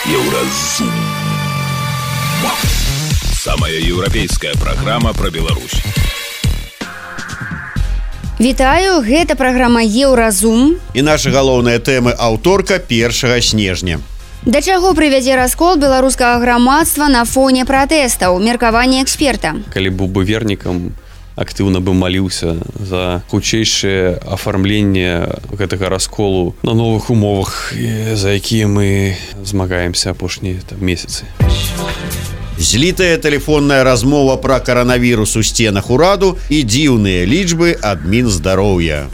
Еўразум. Самая еўрапейская праграма пра Беларусь. Вітаю, гэта праграма Еўразум. І наша галоўная тэма аўторка 1 снежня. Да чаго прывядзе раскол беларускага грамадства на фоне пратэстаў? Меркаванне эксперта. Калі быў бы вернікам, актыўна бы маліўся за хутчэйшае афармленне гэтага расколу на новых умовах, за якія мы змагаемся апошнія месяцы. Злітая тэлефонная размова пра каранавірус у сценах ураду і дзіўныя лічбы ад Мінздароўя.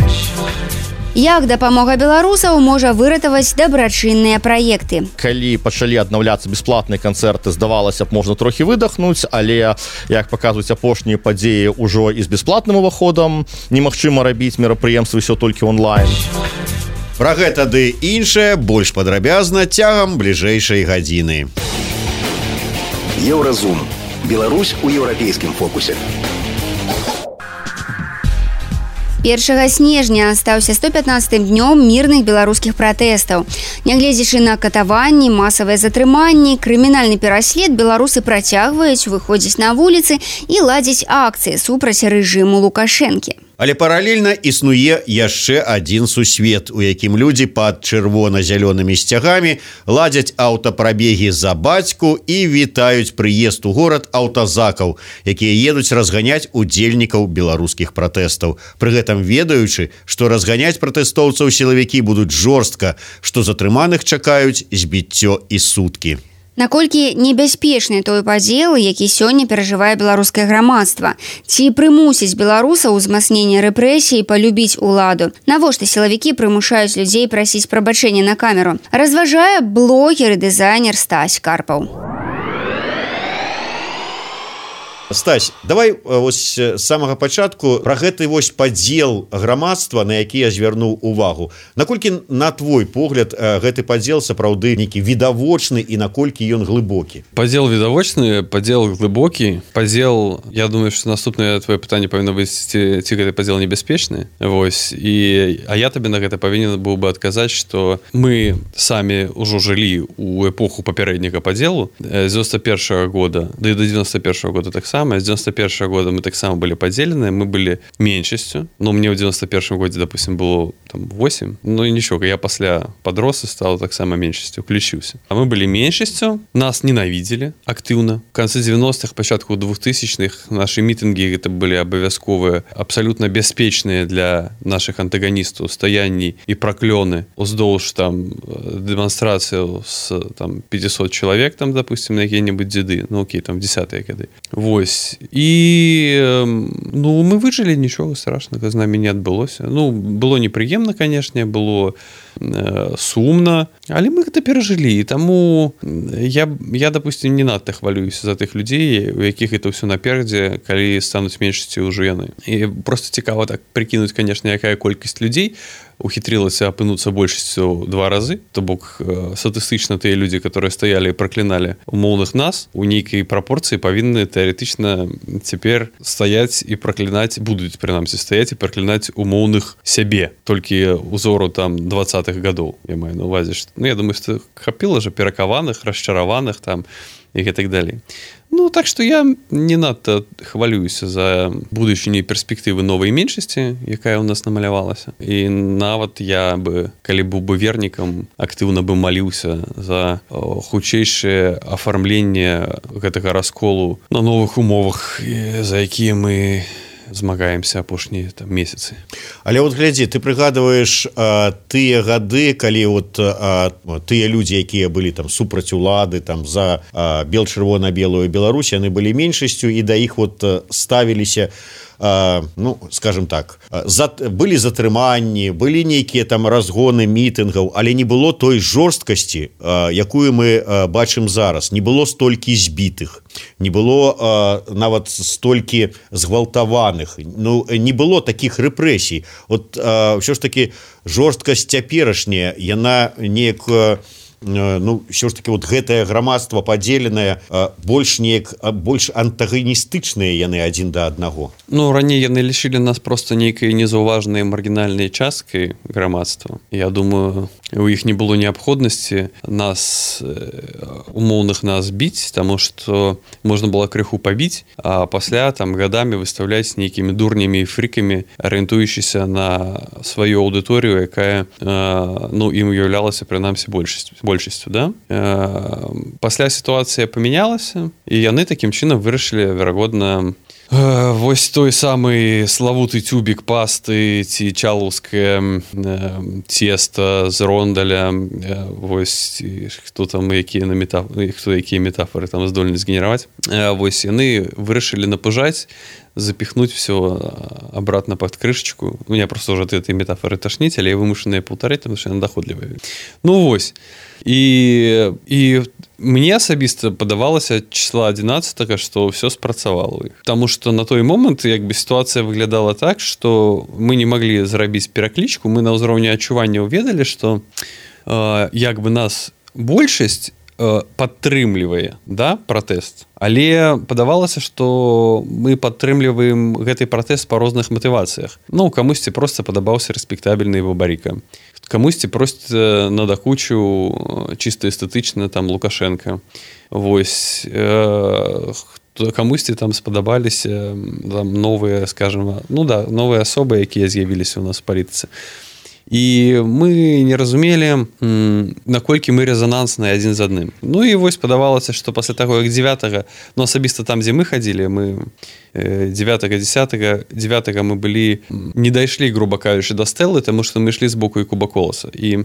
Як дапамога беларусаў можа выратаваць дабрачынныя праекты? Калі пачалі аднаўляцца бясплатныя канцэрты, здавалася б, можна трохі выдохнуць, але, як паказваюць апошнія падзеі, ужо і з бясплатным уваходам немагчыма рабіць мерапрыемствы ўсё толькі онлайн. Пра гэта ды іншае больш падрабязна цягам бліжэйшай гадзіны. Еўразум. Беларусь у еўрапейскім фокусе. 1 снежня стаўся 115-м днём мірных беларускіх пратэстаў. Нягледзячы на катаванні, масавыя затрыманні, крымінальны пераслед, беларусы працягваюць выходзіць на вуліцы і ладзіць акцыі супраць рэжыму Лукашэнкі. Але паралельна існуе яшчэ адзін сусвет, у якім людзі пад чырвона-зялёнымі сцягамі ладзяць аўтапрабегі за бацьку і вітаюць прыезд у горад аўтазакаў, якія едуць разганяць удзельнікаў беларускіх пратэстаў. Пры гэтым ведаючы, што разганяць пратэстоўцаў сілавікі будуць жорстка, што затрыманых чакаюць збіццё і суткі. Наколькі небяспечны той падзел, які сёння перажывае беларускае грамадства? Ці прымусіць беларусаў узмацнення рэпрэсій палюбіць уладу? Навошта сілавікі прымушаюць людзей прасіць прабачэння на камеру? Разважае блогер і дызайнер Стась Карпаў. Стась, давай вось з самага пачатку пра гэты вось падзел грамадства, на які я звярнуў увагу. Наколькі, на твой погляд, гэты падзел сапраўды нейкі відавочны і наколькі ён глыбокі? Падзел відавочны, падзел глыбокі. Падзел, я думаю, што наступнае твоё пытанне павінна быць, ці гэты падзел небяспечны. Вось. А я табе на гэта павінен быў бы адказаць, што мы самі ўжо жылі ў эпоху папярэдняга падзелу з 91-го года, да і до 91-го года таксама. С 91 года мы таксама были поделены, мы были меньшостью. Но мне в 91 году, допустим, было там 8. Ну и ничего, я после подрос и стал так само меньшостью, включился. А мы были меньшостью, нас ненавидели активно. В конце 90-х, початку 2000-х наши митинги это были обовязковые, абсолютно беспечные для наших антагонистов стоянні и проклёны. Уздолж там демонстрацию с там 500 человек, там, допустим, на какие-нибудь деды. Ну окей, там в 10-е годы. Вось. І ну, мы выжылі, нічога страшнага з намі не адбылося. Ну, было непрыемна, канешне, было сумна, але мы гэта перажылі. І таму я, допустим, не надта хвалююся за тых людзей, у якіх это ўсё наперадзе, калі стануць меншасцю ўжо яны. І просто цікава так прыкінуць, канешне, якая колькасць людзей ухітрылася апынуцца большасцю 2 разы. То бок статыстычна тыя людзі, которые стаялі і пракліналі умоўных нас, у нейкай прапорцыі павінны тэарэтычна цяпер стаяць і праклінаць, будуць прынамсі стаяць і праклінаць умоўных сябе. Толькі узору там 20-х гадоў, я маю на увазе. Ну, я думаю, што хапіла ж перакаваных, расчараваных там і так далей. Ну, так што я не надта хвалююся за будучыню і перспектывы новай меншасці, якая ў нас намалявалася. І нават я бы, калі быў бы вернікам, актыўна бы маліўся за хутчэйшае афармленне гэтага расколу на новых умовах, за якія мы змагаемся апошнія там месяцы. Але вот глядзі, ты прыгадваеш тыя гады, калі вот тыя людзі, якія былі там супраць улады, там за бел-чырвона-белую Беларусь, яны былі меншасцю, і да іх вот ставіліся, ну, скажем так, былі затрыманні, былі нейкія там разгоны мітынгаў, але не было той жорсткасці, якую мы бачым зараз. Не было столькі збітых, не было нават столькі згвалтаваных, ну, не было такіх рэпрэсій. Вот ўсё ж таки жорсткасць цяперашняя, яна неяк ну ўсё ж таки вот гэтае грамадства падзеленае больш антагоністычныя яны адзін да аднаго. Ну раней яны лічылі нас просто нейкай незаўважнай маргінальнай часткай грамадства. Я думаю, у іх не было неабходнасці нас умоўных нас біць, таму што можна было крыху пабіць, а пасля там гадамі выставляць нейкімі дурнямі і фрікамі, арыентуючыся на сваю аўдыторыю, якая ну ім уяўлялася прынамсі большасцю, да? Пасля сітуацыя памянялася, і яны такім чынам вырашылі, верагодна, вось той самы славуты тюбік пасты ці чалаўскае цеста з рондаля, вось хто там якія метафоры там здольны згенераваць, вось яны вырашылі напужаць, запихнуть все обратно под крышечку. У меня просто уже от этой метафоры тошнить, але я вымушанная паўтараць, потому что она доходлівая. Ну вось. І мне асабіста падавалася числа 11, што ўсё спрацавала ў іх. Таму што на той момант як бы сітуацыя выглядала так, што мы не маглі зрабіць пераклічку, мы на ўзроўні адчуванняў ведалі, што як бы нас большасць падтрымлівае, да, пратэст. Але падавалася, што мы падтрымліваем гэты пратэст па розных матывацыях. Ну, камусьці проста падабаўся рэспектабельны Бабарыка. Камусьці проста надакучыў чыста эстэтычна там Лукашенко. Вось камусьці там спадабаліся там новыя, скажем, ну да, новыя асобы, якія з'явіліся ў нас у палітыцы. І мы не разумелі, наколькі мы рэзанансныя адзін з адным. Ну і вось падавалася, што пасля таго, як 9, ну асабіста там, дзе мы хадзілі, мы 9-10 мы былі, не дайшлі, груба кажучы, да стэлы, таму што мы ішлі з боку і Куба Коласа. І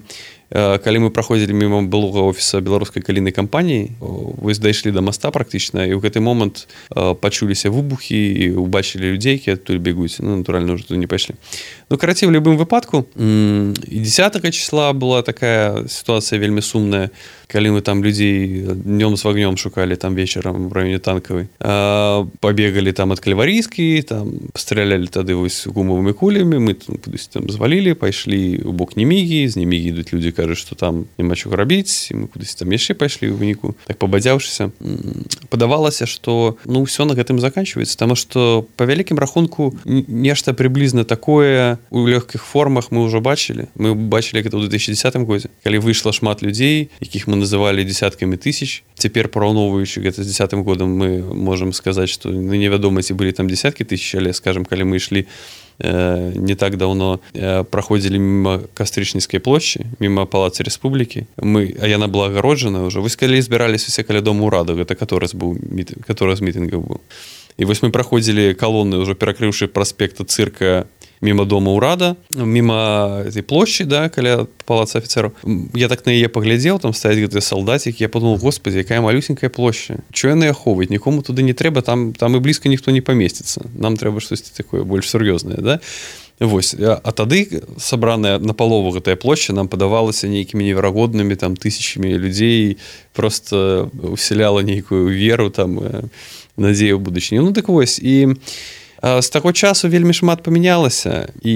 калі мы праходзілі міма былога офіса беларускай калійнай кампаніі, вось дайшлі да моста практычна, і ў гэты момант пачуліся выбухі і убачылі людзей, якія адтуль бегуць. Ну, натуральна, ўжо туды не пайшлі. Ну, карацей, у любым выпадку, і 10 числа была такая сітуацыя вельмі сумная, калі мы там людзей днём з вагнём шукалі там вечарам в раёне Танкавай. Пабегалі там ад Кальварійскай, там стралялі тады вось гумавымі кулямі, мы там звалілі, пайшлі ў бок Немігі, з Немігі ідуць людзі, кажуць, што там няма чаго рабіць, і мы кудысь там яшчэ пайшлі ў выніку, так пабадзяўшыся. Падавалася, што ну ўсё на гэтым заканчваецца, таму што па вялікім рахунку нешта прыблізна такое у лёгкіх формах мы ўжо бачылі. Мы бачылі гэта ў 2010 годзе, калі выйшла шмат людзей, якіх мы называлі дзесяткамі тысяч. Цяпер, параўноўваючы гэта з 10 годам, мы можам сказаць, што невядома, ці былі там дзесяткі тысяч, але, скажем, калі мы ішлі не так даўно, праходзілі міма Кастрычніцкай плошчы, міма Палаца Рэспублікі, а яна была агароджана ўжо. Вось калі збіраліся ўсе каля Дому ўраду, гэта каторы з мітынгаў быў. І вось мы праходзілі калоны, ўжо перакрыўшы праспекта Цырка, міма Дома ўрада, міма этой плошчы, да, каля Палаца афіцэраў. Я так на яе паглядзеў, там стаяць гэтыя салдацікі, я подумал, господи, якая малюсенькая плошча. Чё яны ахоўваюць? Нікому туды не трэба, там і блізка ніхто не памесціцца. Нам трэба штосьці такое больш сур'ёзнае, да? Вось. А тады сабраная напалову гэтая плошча нам падавалася нейкімі неверагоднымі там тысячамі людзей, просто усяляла нейкую веру, там надзею ў будучыню. Ну так вось, і з таго часу вельмі шмат памянялася, і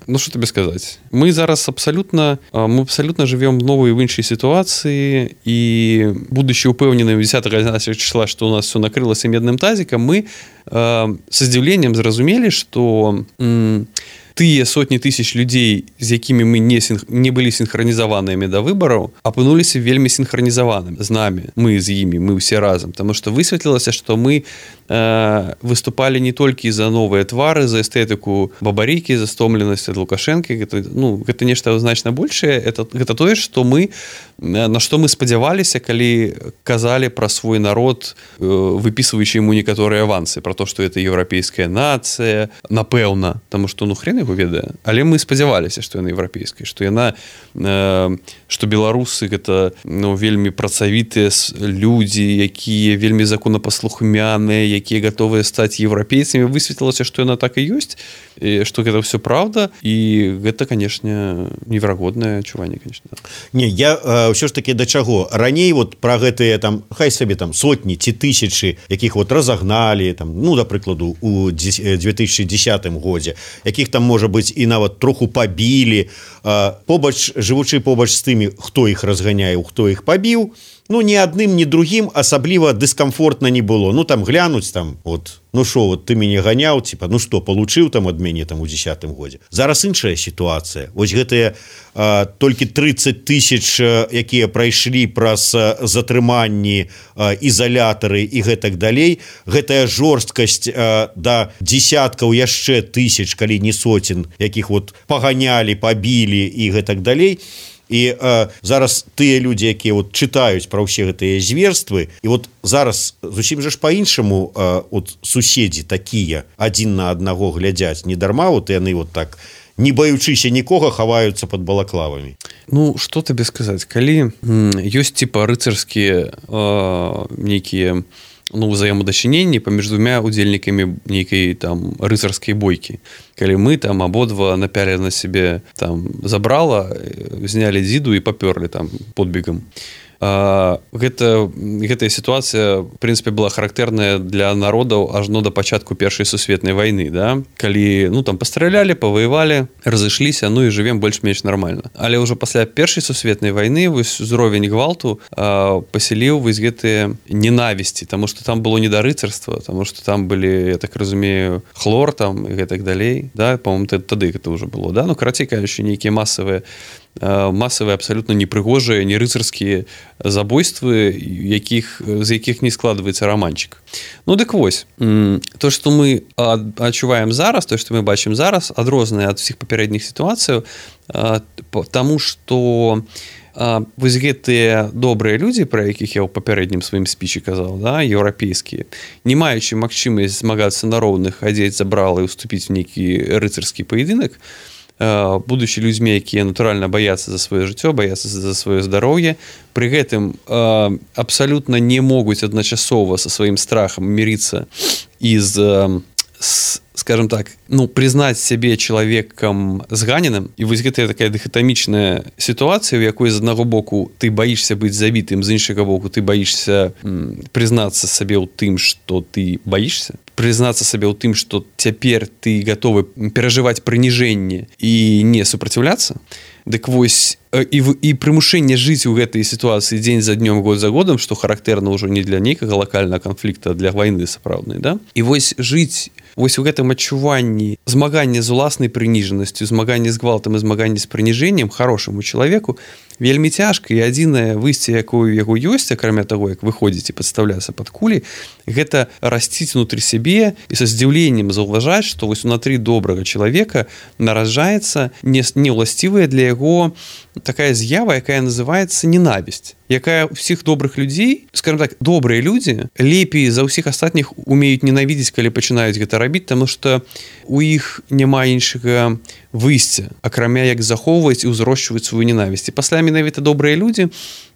ну што табе сказаць, мы зараз абсалютна жывём новой в іншай сітуацыі, і будучы ўпэўнены 10 числа, што у нас все накрылася медным тазікам, мы са здзіўленнем зразумелі, што тыя сотні тысяч людзей, з якімі мы не былі сінхранізаванымі да выбараў, апынуліся вельмі сінхранізаванымі з намі, мы з імі, мы ўсе разам, таму што высветлілася, што мы выступалі не толькі за новыя твары, за эстэтыку Бабарыкі, за стомленасць ад Лукашэнкі, гэта нешта значна большае, гэта тое, што на што мы спадзяваліся, калі казалі пра свой народ, выпісваючы яму некаторыя авансы, пра то, што гэта еўрапейская нацыя, напэўна, таму што ну хрен яго ведае, але мы спадзяваліся, што яна еўрапейская, што беларусы гэта ну, вельмі працавітыя людзі, якія вельмі законапаслухмяныя, якія гатовыя стаць еўрапейцамі. Высветлілася, што яна так і ёсць, што гэта ўсё праўда, і гэта, канешне, неверагоднае адчуванне, канешне. Не, я ўсё ж таки да чаго раней вот пра гэтыя там хай сабе там сотні ці тысячы якіх вот разагналі там, ну да прыкладу у 2010 годзе, якіх там можа быць і нават троху пабілі, побач жывучы побач з тымі, хто іх разганяе, хто іх пабіў, ну ні адным ні другім асабліва дыскамфортна не было. Ну там глянуць там вот, ну шо, вот ты мяне ганяў, типа, ну што, получыў там ад мяне там у 10 годзе. Зараз іншая сітуацыя. Вось гэтыя толькі 30 тысяч, якія прайшлі праз затрыманні, ізалятары і гэтак далей, гэтая жорсткасць да десяткаў яшчэ тысяч, калі не сотен, якіх вот паганялі, пабілі і гэтак далей. І зараз тыя людзі, якія вот чытаюць пра ўсе гэтыя зверствы, і вот зараз зусім жа ж па-іншаму от суседзі такія адзін на аднаго глядзяць, не дарма вот яны вот так, не баючыся нікога, хаваюцца под балаклавамі. Ну, што табе сказаць, калі ёсць типа рыцарскія нейкія взаемадачыненні паміж двумя удзельнікамі нейкай там рыцарскай бойкі. Калі мы там абодва напялі на сябе там забрала, знялі дзіду і папёрлі там подбегам. Гэтая сітуацыя, в прынцыпе, была характэрная для народаў ажно да пачатку Першай сусветнай вайны, да? Калі, ну, там пастралялі, паваявалі, разышліся, ну і жывем больш-менш нармальна. Але ўжо пасля Першай сусветнай вайны вось узровень гвалту пасяліў вось гэтыя ненавісці, таму што там было не да рыцарства, таму што там былі, я так разумею, хлор там і гэтак далей, да? По-моему, тады гэта ўжо было, да? Ну, карацей кажучы, нейкія масавыя абсалютна непрыгожыя, не рыцарскія забойствы, з якіх не складваецца раманчык. Ну, дык вось, то, што мы адчуваем зараз, то, што мы бачым зараз, адрознае ад усіх папярэдніх сітуацыяў, таму што вось гэтыя добрыя людзі, пра якіх я ў папярэднім сваім спічы казаў, да, еўрапейскія, не маючы магчымасць змагацца на роўных, адзець забрала і ўступіць у нейкі рыцарскі паядынак, будучи людзьмі, якія натуральна баяцца за сваё жыццё, баяцца за сваё здароўе, пры гэтым абсалютна не могуць адначасова са сваім страхам мірыцца і скажем так, ну, признаць сябе чалавекам зганеным. І вось гэтая такая дыхатамічная сітуацыя, у якой з аднаго боку ты баішся быць забітым, з іншага боку ты баішся прызнацца сабе ў тым, што ты баішся, прызнацца сабе ў тым, што цяпер ты гатовы перажываць прыніжэнне і не супраціўляцца. Дык вось і прымушэнне жыць у гэтай сітуацыі дзень за днём, год за годам, што характэрна ўжо не для нейкага лакальнага канфлікта, а для вайны сапраўднай, да? І вось жыць вось у гэтым адчуванні змагання з уласнай прыніжанасцю, змагання з гвалтам і змагання з прыніжэннем харошаму чалавеку вельмі цяжка, і адзінае выйсце, якое ў яго ёсць, акрамя таго, як выходзіць і падстаўляцца пад кулі, гэта расціць унутры сябе і са здзіўленнем заўважаць, што вось унутры добрага чалавека нараджаецца неўласцівая для яго такая з'ява, якая называецца ненавісць, якая ўсіх добрых людзей, скажем так, добрыя людзі лепей за ўсіх астатніх умеюць ненавідзець, калі пачынаюць гэта рабіць, таму што у іх няма іншага выйсця, акрамя як захоўваць і ўзрошчваць сваю ненавісць. І пасля менавіта добрыя людзі,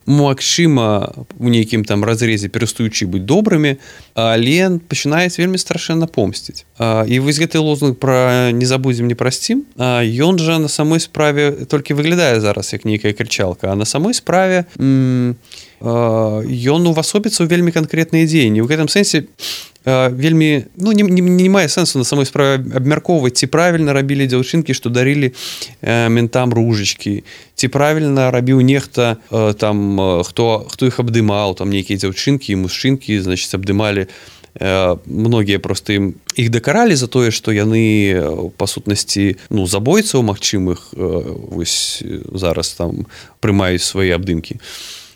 магчыма, у нейкім там разрезе перастаючы быць добрымі, але пачынаюць вельмі страшэнна помсціць. І вось гэты лозунг пра «не забудзем, не прасцім», ён жа на самой справе толькі выглядае зараз як нейкая крычалка, а на самой справе ён увасобіцца ў вельмі канкрэтныя дзеянні. У гэтым сэнсе вельмі, ну, не мае сэнсу на самой справе абмяркоўваць, ці правільна рабілі дзяўчынкі, што дарылі ментам ружачкі, ці правільна рабіў нехта там, хто іх абдымаў, там нейкія дзяўчынкі і мужчынкі, значыць, абдымалі, многія проста іх дакаралі за тое, што яны па сутнасці, ну, забойцаў магчымых вось зараз там прымаюць свае абдымкі.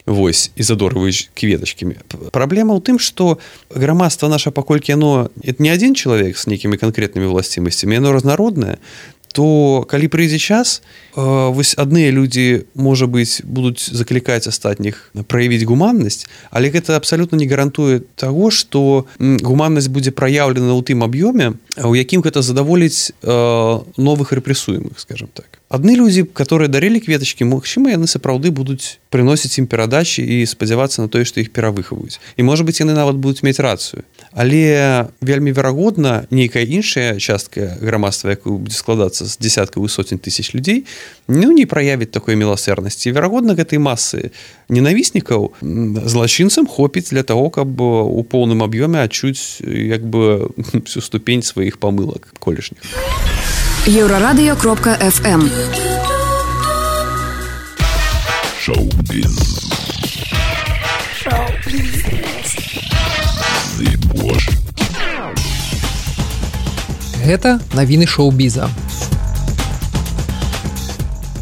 Вось, і задорваюць кветачкамі. Праблема ў тым, што грамадства наша, паколькі яно не адзін чалавек з нейкімі канкрэтнымі ўласцівасцямі, яно разнароднае, то калі прыйдзе час, вось адныя людзі, можа быць, будуць заклікаць астатніх праявіць гуманнасць, але гэта абсалютна не гарантуе таго, што гуманнасць будзе праяўлена ў тым аб'ёме, у якім гэта задаволіць новых рэпрэсуемых, скажем так. Адны людзі, которые дарылі кветачкі, магчыма, яны сапраўды будуць прыносіць ім перадачы і спадзявацца на тое, што іх перавыхаваюць. І, можа быць, яны нават будуць мець рацыю. Але вельмі верагодна, нейкая іншая частка грамадства, якая будзе складацца масса з десяткаў і сотень тысяч людзей не праявіць такой міласэрнасці. Верагодна, гэтай масы ненавіснікаў злачынцам хопіць для того, каб у поўным аб'ёме адчуць як бы всю ступень сваіх памылак колішніх. Еврорадио.FM Шоу-біз. Гэта навіны шоу-біза.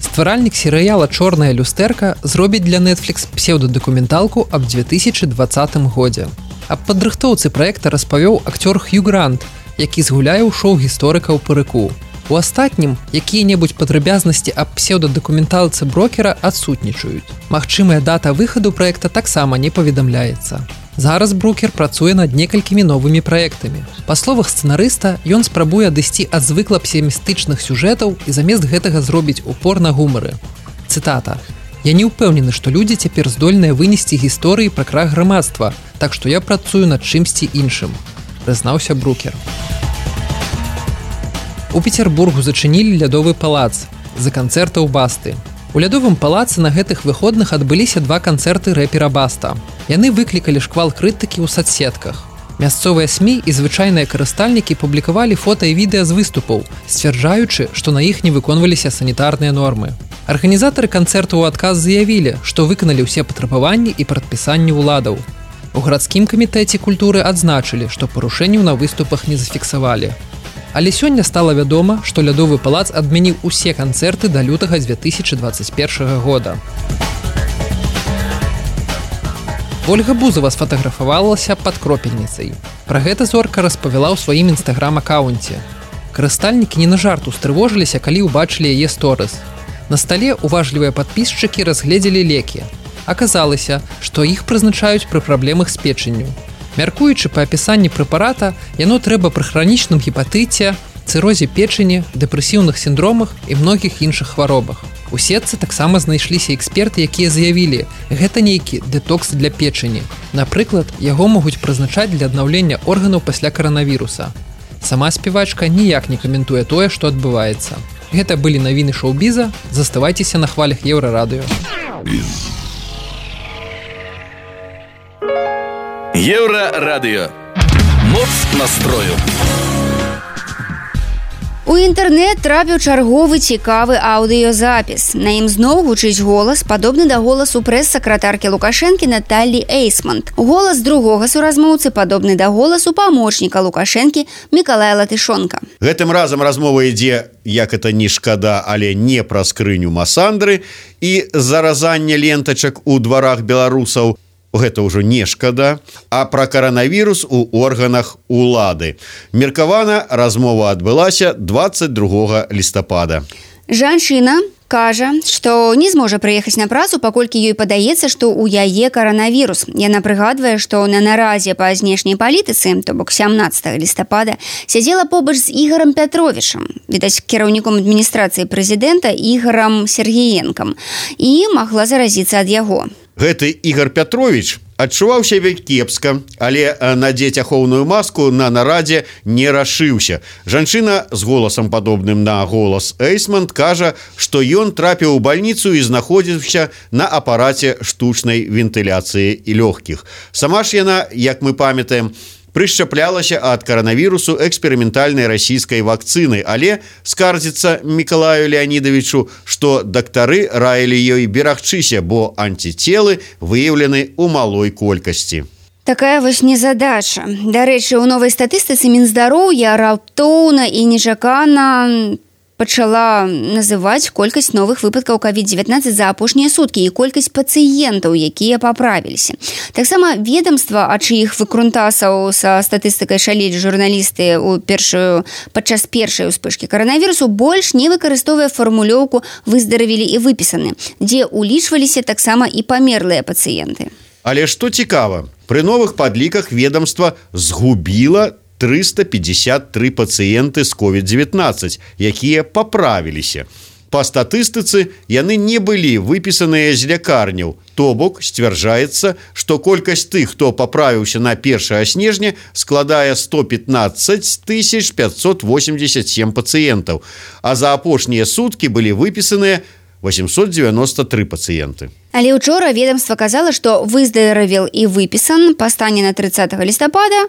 Стваральнік серыяла «Чорная люстэрка» зробіць для Netflix псеўдадакументалку аб 2020 годзе. Аб падрыхтоўцы праекта распавёў акцёр Хью Грант, які згуляе ў шоу гісторыка ў парыку. У астатнім, якія-небудзь падрабязнасці аб псеўдадакументалцы брокера адсутнічаюць. Магчымая дата выхаду праекта таксама не паведамляецца. Зараз брокер працуе над некалькімі новымі праектамі. Па словах сцэнарыста, ён спрабуе адысці ад звыкла песімістычных сюжэтаў і замест гэтага зробіць упор на гумары. Цытата. «Я не ўпэўнены, што людзі цяпер здольныя вынесці гісторыі пра крах грамадства, так што я працую над чымсьці іншым», прызнаўся брокер. У Петербургу зачынілі лядовы палац з-за канцэртаў Басты. У лядовым палацы на гэтых выходных адбыліся 2 канцэрты рэпера Баста. Яны выклікалі шквал крытыкі ў сацсетках. Мясцовыя СМІ і звычайныя карыстальнікі публікавалі фота і відэа з выступаў, сцвярджаючы, што на іх не выконваліся санітарныя нормы. Арганізатары канцэрту ў адказ заявілі, што выканалі ўсе патрабаванні і прадпісанні ўладаў. У гарадскім камітэце культуры адзначылі, што парушэнняў на выступах не зафіксавалі. Але сёння стала вядома, што лядовы палац адмяніў усе канцэрты да лютага 2021 года. Ольга Бузова сфатаграфавалася пад кропельніцай. Пра гэта зорка распавяла ў сваім інстаграм-акаунце. Карыстальнікі не на жарт устрывожыліся, калі ўбачылі яе сторыс. На стале уважлівыя падпісчыкі разгледзелі лекі. Аказалася, што іх прызначаюць пры праблемах з печанню. Мяркуючы па апісанні прэпарата, яно трэба пры хранічным гепатыце, цырозе печані, дэпрэсіўных сіндромах і многіх іншых хваробах. У сетцы таксама знайшліся эксперты, якія заявілі, гэта нейкі дэтокс для печані. Напрыклад, яго могуць прызначаць для аднаўлення органаў пасля каранавіруса. Сама спявачка ніяк не каментуе тое, што адбываецца. Гэта былі навіны шоу-біза. Заставайцеся на хвалях Еўрарадыё. Еўрарадыё. Моц настрою. У інтэрнэт трапіў чарговы цікавы аўдыёзапіс. На ім зноў гучыць голас, падобны да голасу прэс-сакратаркі Лукашэнкі Наталлі Эйсмонт. Голас другога суразмоўцы падобны да голасу памочніка Лукашэнкі Мікалая Латышонка. Гэтым разам размова ідзе, як это не шкада, але не пра скрыню Масандры і заразанне лентачак у дварах беларусаў. Гэта ўжо не шкада, а пра каранавірус у органах улады. Меркавана размова адбылася 22 лістапада. Жанчына кажа, што не зможа прыехаць на працу, паколькі ёй падаецца, што ў яе каранавірус. Яна прыгадвае, што на нарадзе па знешняй палітыцы, то бок 17 лістапада, сядзела побач з Ігорам Пятровічам, відаць, кіраўніком адміністрацыі прэзідэнта Ігорам Сергіенкам, і магла заразіцца ад яго. Гэты Ігор Пятровіч адчуваў сябе кепска, але надзець ахоўную маску на нарадзе не рашыўся. Жанчына з голасам падобным на голас Эйсмонт кажа, што ён трапіў у бальніцу і знаходзіўся на апараце штучнай вентыляцыі і лёгкіх. Сама ж яна, як мы памятаем, прышчаплялася ад каранавірусу эксперыментальнай расійскай вакцыны, але скардзіцца Мікалаю Леанідавічу, што дактары раілі ёй берагчыся, бо антицелы выяўлены ў малой колькасці. Такая вось незадача. Дарэчы, у новай статыстыцы Мінздароўя раптоўна і нечакана пачала называць колькасць новых выпадкаў COVID-19 за апошнія суткі і колькасць пацыентаў, якія паправіліся. Таксама ведомства, ад чыіх выкрунтасаў са статыстыкай шалелі журналісты падчас першай успышкі каранавірусу, больш не выкарыстоўвае фармулёўку «выздаравілі і выпісаны», дзе улічваліся таксама і памерлыя пацыенты. Але што цікава, пры новых падліках ведомства згубіла 353 пацыенты з COVID-19, якія паправіліся. Па статыстыцы яны не былі выпісаныя з лякарняў. То бок сцвярджаецца, што колькасць тых, хто паправіўся на 1 снежня, складае 115 587 пацыентаў, а за апошнія суткі былі выпісаныя 893 пацыенты. Але учора ведомства казала, што выздаравел і выпісан па стане на 30 лістапада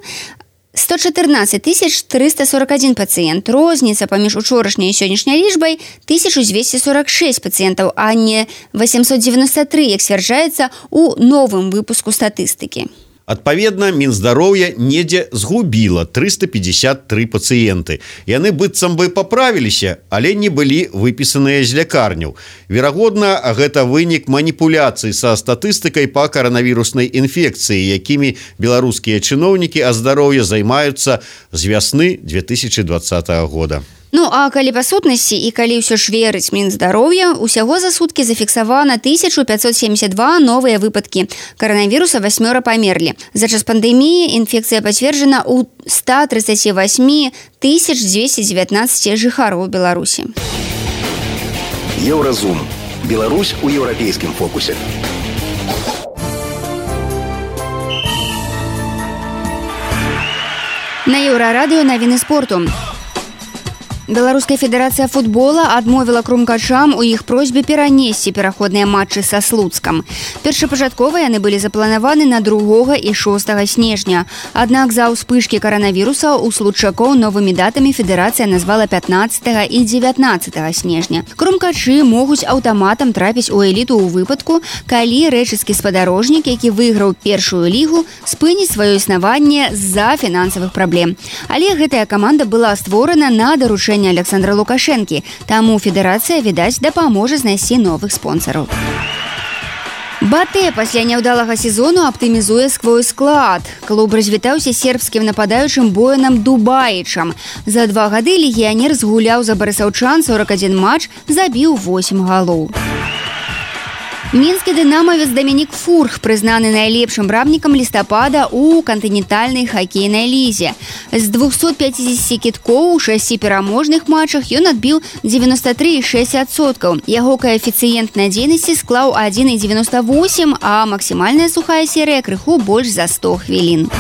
114 341 пацыент. Розніца паміж учорашняй і сённяшняй лічбай 1246 пацыентаў, а не 893, як сцвярджаецца у новым выпуску статыстыкі. Адпаведна, Мінздароўя недзе згубіла 353 пацыенты. Яны быццам бы паправіліся, але не былі выпісаныя з лякарняў. Верагодна, гэта вынік маніпуляцый са статыстыкай па каранавіруснай інфекцыі, якімі беларускія чыноўнікі аздароўя займаюцца з вясны 2020 года. Ну, а калі па сутнасці і калі ўсё ж верыць Мінздароўя, усяго за суткі зафіксавана 1572 новыя выпадкі каранавіруса, 8 памерлі. За час пандэміі інфекцыя пацверджана ў 138 219 жыхароў Беларусі. Еўразум. Беларусь у еўрапейскім фокусе. На Еўрарадыё навіны спорту. Беларуская федэрацыя футбола адмовіла крумкачам у іх просьбе перанесці пераходныя матчы са Слуцкам. Першапачаткова яны былі запланаваны на 2 і 6 снежня. Аднак за ўспышкі каранавіруса у случакоў новымі датамі федэрацыя назвала 15 і 19 снежня. Крумкачы могуць аўтаматам трапіць у эліту ў выпадку, калі рэчыскі спадарожнік, які выйграў першую лігу, спыніць сваё існаванне з-за фінансавых праблем. Але гэтая каманда была створана на даручэнне Александра Лукашэнкі, таму федэрацыя, відаць, дапаможа знайсці новых спонсараў. Батэ пасля няўдалага сезону аптымізуе свой склад. Клуб развітаўся сербскім нападаючым Боянам Дубаічам. За 2 гады легіянер згуляў за барысаўчан 41 матч, забіў 8 галоў. Мінскі дынамавец Дамінік Фурх прызнаны найлепшым брамнікам лістапада ў кантынентальнай хакейнай лізе. З 250 кідкоў у 6 пераможных матчах ён адбіў 93,6%. Яго каэфіцыент надзейнасці склаў 1,98, а максімальная сухая серыя крыху больш за 100 хвілін.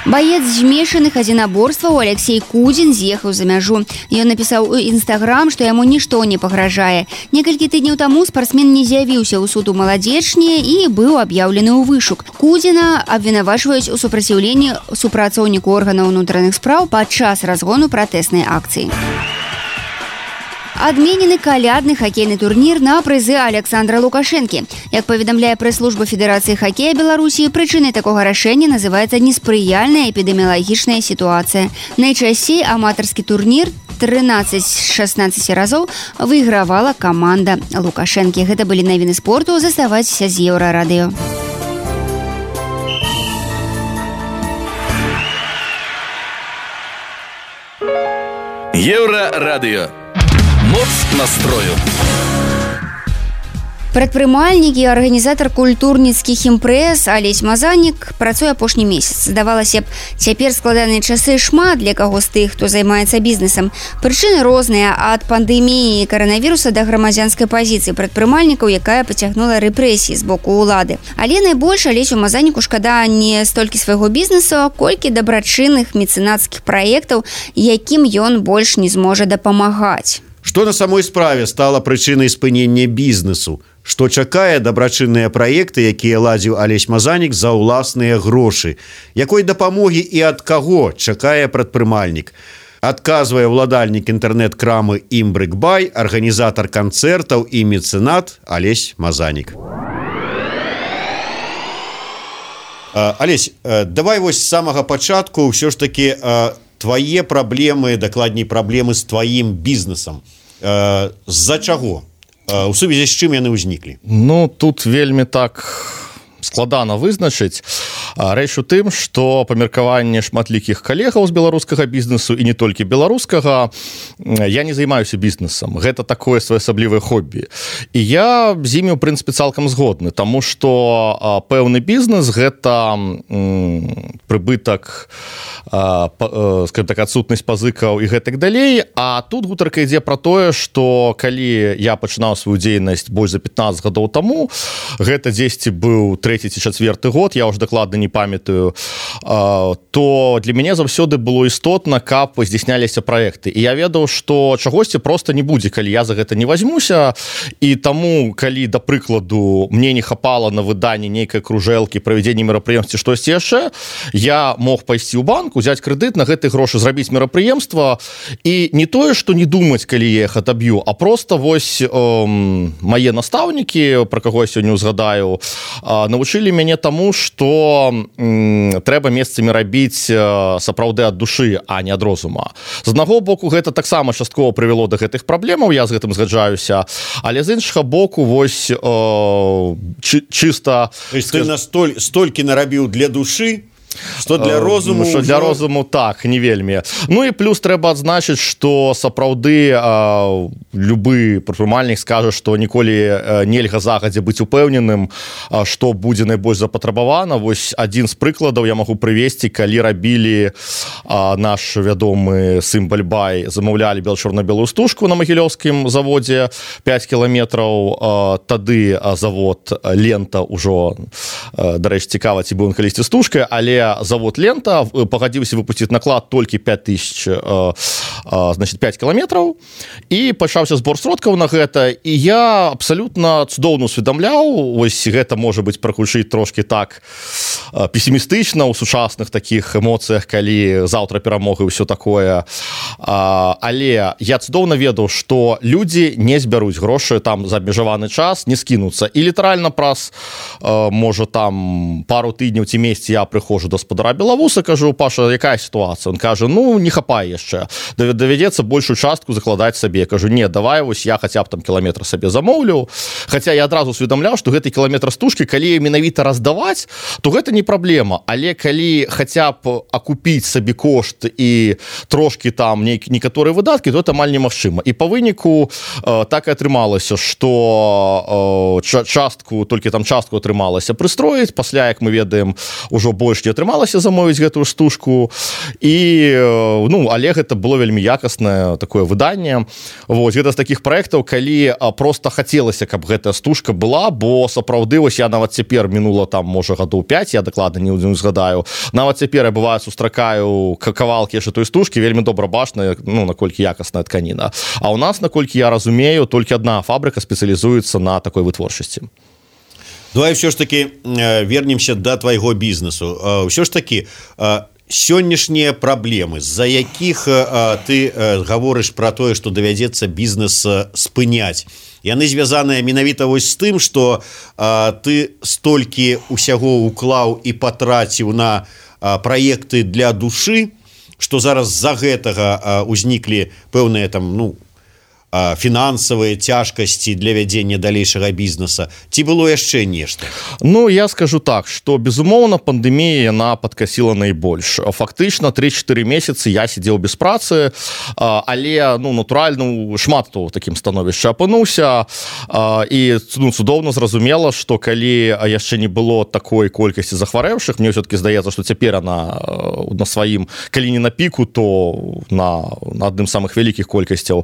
Баец змешаных адзінаборстваў Алексей Кудзін з'ехаў за мяжу. Ён напісаў у Інстаграм, што яму нішто не пагражае. Некалькі тыдняў таму спартсмен не з'явіўся ў суд у Маладзечні і быў аб'яўлены ў вышук. Кудзіна абвінавачваюць у супраціўленні супрацоўніку органаў унутраных спраў падчас разгону пратэснай акцыі. Адменены калядны хакейны турнір на прызы Александра Лукашэнкі. Як паведамляе прэс-служба Федэрацыі хакея Беларусі, прычынай такога рашэння называецца неспрыяльная эпідэміялагічная сітуацыя. Найчасцей аматарскі турнір 13-16 разоў выйгравала каманда Лукашэнкі. Гэта былі навіны спорту. Заставайцеся з Еўрарадыё. Еўрарадыё. Моц настрою. Прадпрымальнік і арганізатар культурніцкіх імпрэз Алесь Мазанік працуе апошні месяц. Здавалася б, цяпер складаныя часы шмат для каго з тых, хто займаецца бізнесам. Прычыны розныя, ад пандэміі і каранавіруса да грамадзянскай пазіцыі прадпрымальнікаў, якая пацягнула рэпрэсіі з боку ўлады. Але найбольш Алесю Мазаніку шкада не столькі свайго бізнесу, колькі дабрачынных мецэнацкіх праектаў, якім ён больш не зможа дапамагаць. Што на самой справе стала прычынай спынення бізнесу? Што чакае дабрачынныя праекты, якія ладзіў Алесь Мазанік за ўласныя грошы? Якой дапамогі і ад каго чакае прадпрымальнік? Адказвае ўладальнік інтэрнэт-крамы Імбрыкбай, арганізатар канцэртаў і мецэнат Алесь Мазанік. Алесь, давай вось з самага пачатку ўсё ж такі твае праблемы, дакладней праблемы з тваім бізнесам. З-за чаго? У сувязі з чым яны ўзніклі? Ну, тут вельмі так складана вызначыць. Рэч у тым, што памеркаванне шматлікіх калегаў з беларускага бізнесу і не толькі беларускага, я не займаюся бізнесам. Гэта такое своеасаблівае хобі. І я з імі, у прынцыпе, цалкам згодны, таму што пэўны бізнес — гэта прыбытак, скажем так, адсутнасць пазыкаў і гэтак далей. А тут гутарка ідзе пра тое, што калі я пачынаў сваю дзейнасць больш за 15 гадоў таму, гэта дзесьці быў 3-ці ці 4-ты год, я ўжо дакладна не памятаю, то для мяне заўсёды было істотна, каб здзяйсняліся праекты. І я ведаў, што чагосьці проста не будзе, калі я за гэта не возьмуся. І таму, калі, да прыкладу, мне не хапала на выданне нейкай кружэлкі, правядзенне мерапрыемстваў, штосьці яшчэ, я мог пайсці ў банк, узяць крэдыт, на гэты грошы зрабіць мерапрыемства і не тое, што не думаць, калі я іх адаб'ю, а просто вось мае настаўнікі, пра каго я сёння узгадаю, навучылі мяне таму, што трэба месцамі рабіць сапраўды ад душы, а не ад розума. З аднаго боку, гэта таксама часткова прывяло да гэтых праблемаў, я з гэтым згаджаюся, але з іншага боку, вось чыста... Ты столькі нарабіў для душы, што для розуму... Што для розуму, так, не вельмі. Ну і плюс трэба адзначыць, што сапраўды любы прадпрымальнік скажа, што ніколі нельга загадзя быць упэўненым, што будзе найбольш запатрабавана. Вось адзін з прыкладаў я магу прывесці, калі рабілі наш вядомы Сымбаль-Бай, замаўлялі чорна-белую стужку на Магілёўскім заводзе 5 кіламетраў, тады завод Лента ўжо, дарэчы, цікава, ці быў ён калісьці стужкай, але завод Лента пагадзіўся выпусціць наклад толькі 5000, значит, 5 кіламетраў, і пачаўся збор сродкаў на гэта, і я абсалютна цудоўна усведамляў, вось гэта можа быць прагучыць трошки так песімістычна ў сучасных такіх эмоцыях, калі заўтра перамога і ўсё такое, але я цудоўна ведаў, што людзі не збяруць грошы там за абмежаваны час, не скінуцца, і літаральна праз, можа, там пару тыдняў ці месяц я прыходжу до спадара Белавуса, кажу: Паша, якая сітуацыя? Он кажа: ну, не хапае яшчэ, давядзецца большую частку закладаць сабе. Кажу: не, давай, вось я хаця б там кіламетр сабе замоўлю. Хаця я адразу усведамляў, што гэты кіламетр стужкі, калі менавіта раздаваць, то гэта не праблема, але калі хаця б акупіць сабе кошт і трошки там некаторыя выдаткі, то это амаль немагчыма. І па выніку так і атрымалася, што толькі там частку атрымалася прыстроіць, пасля, як мы ведаем, ужо больш не атрымалася замовіць гэтую стужку, і але гэта было вельмі якаснае такое выданне. Вось гэта з такіх праектаў, калі просто хацелася, каб гэтая стужка была, бо сапраўды вось я нават цяпер, мінула там можа гадоў 5, я дакладна не згадаю, нават цяпер я бываю сустракаю кавалкі яшчэ той стужкі, вельмі добра бачна, наколькі якасная тканіна. А ў нас, наколькі я разумею, толькі адна фабрыка спецыялізуецца на такой вытворчасці. Давай все ж таки вернемся до твайго бізнесу. Ўсё ж таки сённяшнія праблемы, з-за якіх ты гаворыш пра тое, што давядзецца бізнес спыняць, яны звязаныя менавіта вось з тым, што ты столькі усяго уклаў і патраціў на праекты для душы, што зараз з-за гэтага узніклі пэўныя там, фінансавыя цяжкасці для вядзення далейшага бізнеса, ці было яшчэ нешта? Я скажу так, што безумоўна пандэмія яна падкасіла найбольш. Фактычна 3-4 месяцы я сидзеў без працы, але натуральна шмат хто ў такім становішчы апынуўся, і цудоўна зразумела, што калі яшчэ не было такой колькасці захварэўшых, мне ўсё-таки здаецца, што цяпер она на сваім, калі не на піку, то на адным з самых вялікіх колькасцяў,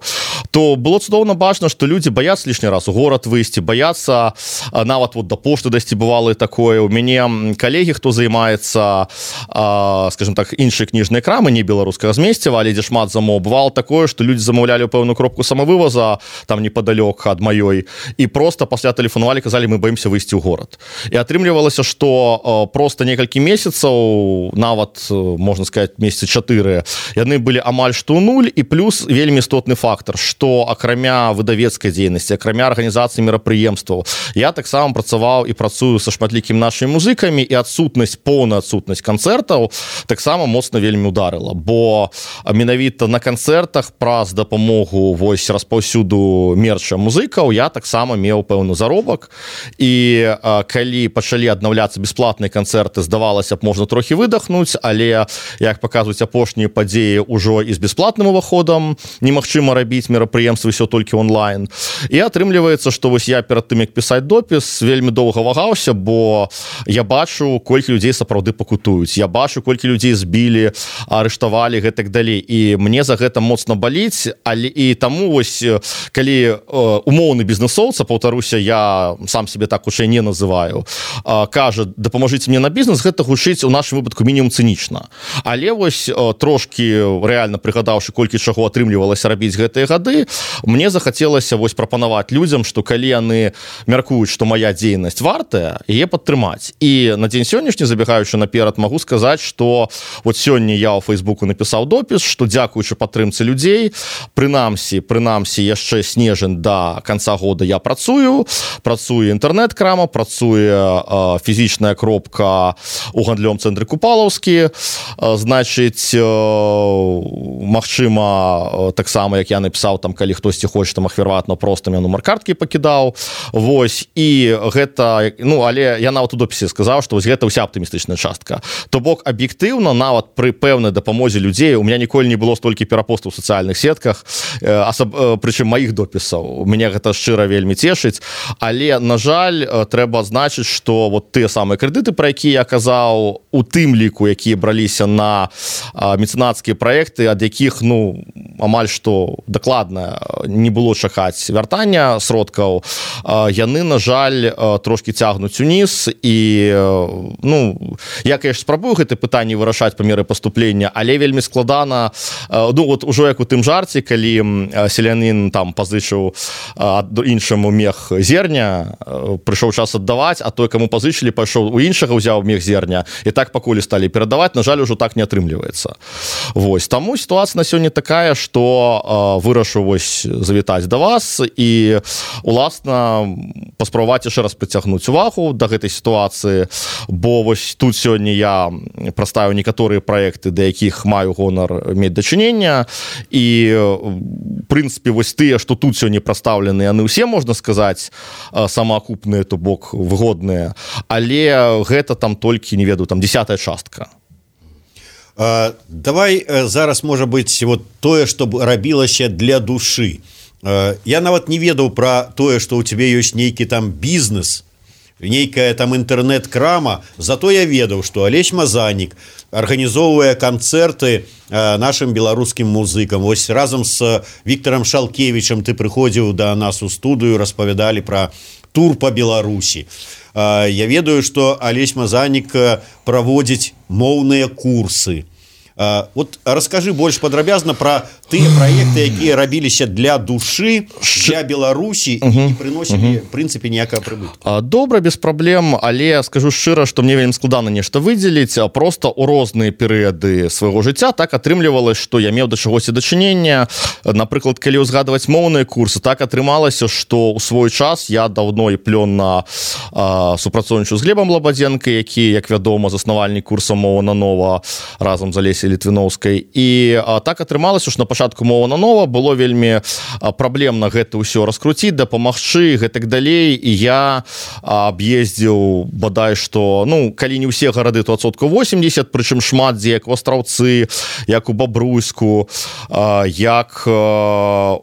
то было цудоўна бачна, што людзі баяцца лішні раз у горад выйсці, баяцца нават да пошты дайсці, бывала і такое. У мяне калегі, хто займаецца, скажем так, іншай кніжнай крамы, не беларускага змесціва, але дзе шмат замоў, бывало такое, што людзі замаўлялі пэўную кропку самавываза там непадалёк ад маёй, і проста пасля тэлефанавалі, казалі: мы баімся выйсці ў горад. І атрымлівалася, што проста некалькі месяцаў, нават можна сказаць месяцы 4, яны былі амаль што ў нуль. І плюс вельмі істотны фактар, што акрамя выдавецкай дзейнасці, акрамя арганізацыі мерапрыемстваў, я таксама працаваў і працую са шматлікімі нашымі музыкамі, і поўная адсутнасць канцэртаў таксама моцна вельмі ударыла, бо менавіта на канцэртах праз дапамогу вось распаўсюду мерча музыкаў я таксама меў пэўны заробак, і калі пачалі аднаўляцца бясплатныя канцэрты, здавалася б, можна трохі выдохнуць, але, як паказваюць апошнія падзеі, ужо і з бясплатным уваходам немагчыма рабіць мерапрыемствы, ўсё толькі онлайн. І атрымліваецца, што вось я перад тым, як пісаць допіс, вельмі доўга вагаўся, бо я бачу, колькі людзей сапраўды пакутуюць, я бачу, колькі людзей збілі, арыштавалі, гэтак далей, і мне за гэта моцна баліць, але і таму вось, калі умоўны бізнесоўца, паўтаруся, я сам себе так хутчэй не называю, кажа, дапамажыце мне на бізнес, гэта гучыць у нашым выпадку мінімум цынічна. Але вось трошки рэальна прыгадаўшы, колькі чаго атрымлівалася рабіць гэтыя гады, мне захацелася вось прапанаваць людзям, што калі яны мяркуюць, што моя дзейнасць вартая, яе падтрымаць. І на дзень сённяшні, забегаючы наперад, магу сказаць, што вот сёння я ў Фейсбуку напісаў допіс, што дзякуючы падтрымцы людзей, прынамсі яшчэ снежань да канца года я працуе інтэрнэт-крама, працуе фізічная кропка у гандлёвым цэнтры Купалаўскі, значыць, магчыма, таксама, як я напісаў, там, калі хтосьці хоча там ахвяраваць, просто я нумар карткі пакідаў, вось, і гэта, але я нават у допісе сказаў, што вось гэта ўся аптымістычная частка. То бок, аб'ектыўна, нават пры пэўнай дапамозе людзей, у меня ніколі не было столькі перапостаў у сацыяльных сетках, прычым маіх допісаў, мяне гэта шчыра вельмі цешыць, але, на жаль, трэба адзначыць, што вот тыя самыя крэдыты, пра якія я казаў, у тым ліку, якія браліся на мецэнацкія праекты, ад якіх, амаль што дакладна не было чакаць вяртання сродкаў, яны, на жаль, трошки цягнуць уніз, і, я, конечно, спрабую гэта пытанне вырашаць па меры паступлення, але вельмі складана, вот ужо як у тым жарце, калі селянін там пазычыў іншаму мех зерня, прыйшоў час аддаваць, а той, каму пазычылі, пайшоў у іншага, узяў мех зерня, і так пакуль сталі перадаваць, на жаль, ужо так не атрымліваецца. Вось, таму сітуацыя на сёння такая, што вырашу вось завітаць да вас і, уласна, паспрабаваць яшчэ раз прыцягнуць увагу да гэтай сітуацыі, бо вось тут сёння я прадставіў некаторыя праекты, да якіх маю гонар мець дачынення, і, в прынцыпе, вось тыя, што тут сёння прадстаўлены, яны ўсе, можна сказаць, самаакупныя, то бок выгодныя, але гэта там толькі, не ведаю, там 10-я частка. Давай зараз, можа быць, вот тое, што рабілася для душы. Я нават не ведаў пра тое, што ў цябе ёсць нейкі там бізнес, нейкая там інтэрнэт-крама, зато я ведаў, што Алесь Мазанік арганізоўвае канцэрты нашим беларускім музыкам. Вось разам з Віктарам Шалкевічам ты прыходзіў да нас у студыю, распавядалі пра тур па Беларусі. Я ведаю, што Алесь Мазанік праводзіць моўныя курсы. Вот раскажы больш падрабязна пра тыя праекты, якія рабіліся для душы, для Беларусі і не прыносілі, в прынцыпе, ніякага прыбытку. Добра, без праблем, але скажу шчыра, што мне вельмі складана нешта выдзеліць, просто ў розныя перыяды свайго жыцця так атрымлівалася, што я меў да чагосьці дачынення. Напрыклад, калі ўзгадваць моўныя курсы, так атрымалася, што ў свой час я даўно і плённа супрацоўнічаю з Глебам Лабадзенка, які, як вядома, заснавальнік курса «Мова на нова» разам з Алесяй Літвіноўскай. І так атрымалася, што на пачатку «Мова на нова» было вельмі праблемна гэта ўсё раскруціць, дапамагчы, гэтак далей. І я аб'ездзіў, бадай што, калі не ўсе гарады, то 80%, прычым шмат дзе, як у Астраўцы, як у Бабруйску, як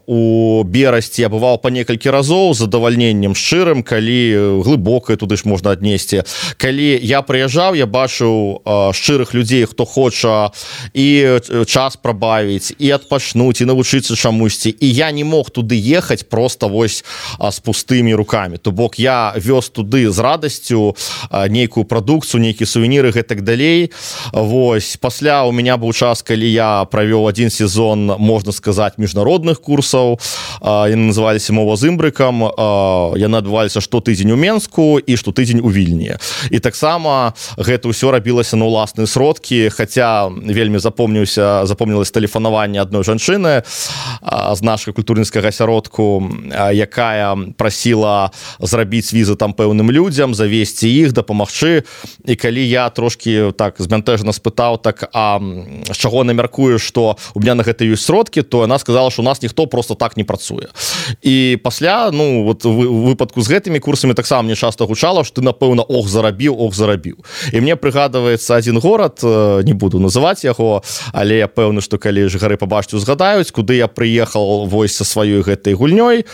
у Берасці. Я бываў па некалькі разоў з задавальненнем шчырым, калі глыбокае туды ж можна аднесці. Калі я прыязджаў, я бачыў шчырых людзей, хто хоча і час прабавіць, і адпачнуць, і навучыцца чамусьці. І я не мог туды ехаць проста вось з пустымі рукамі. То бок я вёз туды з радасцю нейкую прадукцыю, нейкія сувеніры, гэтак далей. Вось. Пасля у меня быў час, калі я правёў адзін сезон, можна сказаць, міжнародных курсаў. Яны называліся «Мова з імбрыкам». Яны адбываліся штотыдзень у Менску і штотыдзень у Вільні. І таксама гэта ўсё рабілася на ўласныя сродкі, хаця вельмі вельмі запомнілось тэлефанаванне адной жанчыны з нашага культурніцкага асяродку, якая прасіла зрабіць візы там пэўным людзям, завесці іх, дапамагчы. І калі я трошкі так збянтэжна спытаў, так, а з чаго намяркую, што у меня на гэта ёсць сродкі, то яна сказала, што у нас ніхто просто так не працуе. І пасля, ну, вот у выпадку з гэтымі курсамі таксама мне часта гучала, што ты, напэўна, ох, зарабіў. І мне прыгадваецца адзін горад, не буду называць яго, але я пэўны, што калі жыхары пабачаць, узгадаюць, куды я прыехаў вось са сваёй гэтай гульнёй,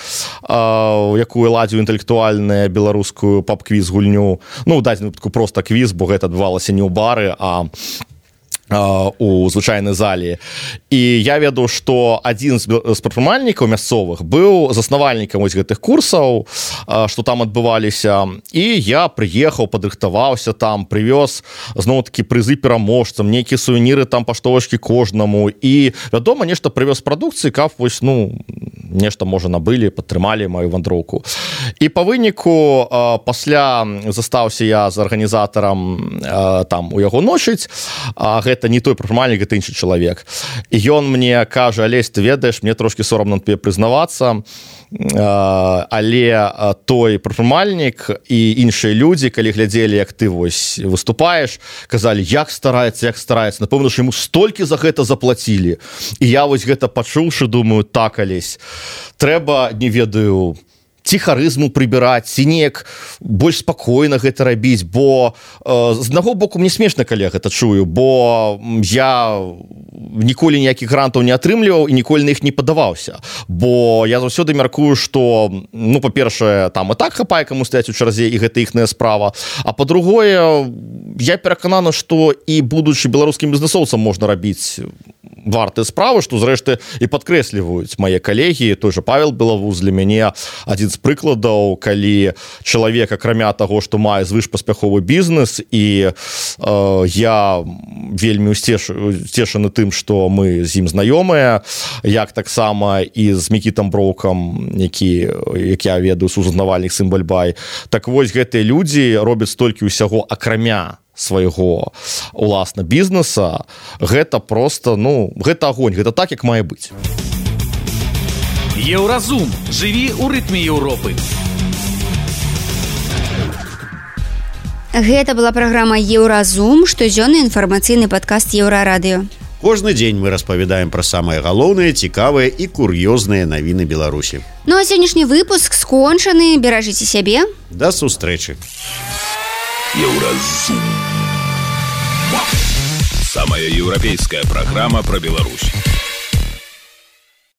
якую ладзіў інтэлектуальную беларускую паб-квіз гульню. Ну, у дадзеным выпадку проста квіз, бо гэта адбывалася не ў бары, а у звычайнай залі. І я ведаў, што адзін з прадпрымальнікаў мясцовых быў заснавальнікам вось гэтых курсаў, што там адбываліся, і я прыехаў, падрыхтаваўся там, прывёз зноў-такі прызы пераможцам, нейкія сувеніры там паштовачкі кожнаму, і, вядома, нешта прывёз прадукцыі, каб вось, ну, нешта, можа, набылі, падтрымалі маю вандроўку. І па выніку пасля застаўся я з арганізатарам там у яго ночыць, гэта не той прадпрымальнік, гэта іншы чалавек. І ён мне кажа: Алесь, ты ведаеш, мне трошкі сорамна тебе прызнавацца, але той прадпрымальнік і іншыя людзі, калі глядзелі, як ты вось выступаеш, казалі, як стараецца, напэўна, што яму столькі за гэта заплацілі. І я вось гэта пачуўшы, думаю, так, Алесь, трэба, не ведаю, ці харызму прыбіраць, ці неяк больш спакойна гэта рабіць, бо з аднаго боку мне смешна, калі я гэта чую, бо я ніколі ніякіх грантаў не атрымліваў і ніколі на іх не падаваўся, бо я заўсёды мяркую, што, ну, па-першае, там і так хапае каму стаяць у чарзе, і гэта іхная справа, а па-другое, я перакананы, што і будучы беларускім бізнэсоўцам можна рабіць вартыя справы, што, зрэшты, і падкрэсліваюць мае калегі. Той жа Павел Белавуз для мяне адзін з прыкладаў, калі чалавек, акрамя таго, што мае звышпаспяховы бізнес, і я вельмі усцешаны тым, што мы з ім знаёмыя, як таксама і з Мікітам Броўкам, як я ведаю, сузназнавальнік сын Бальбай. Так вось, гэтыя людзі робяць столькі ўсяго акрамя свайго уласна бізнеса. Гэта просто, ну, гэта агонь, гэта так, як мае быць. Еўразум. Жыві ў рытме Еўропы. Гэта была праграма Еўразум, штодзённы інфармацыйны падкаст Еўрарадыё. Кожны дзень мы распавядаем пра самыя галоўныя, цікавыя і кур'ёзныя навіны Беларусі. Ну а сённяшні выпуск скончаны. Беражыце сябе. Да сустрэчы. Еўразум. Самая еўрапейская программа про Беларусь.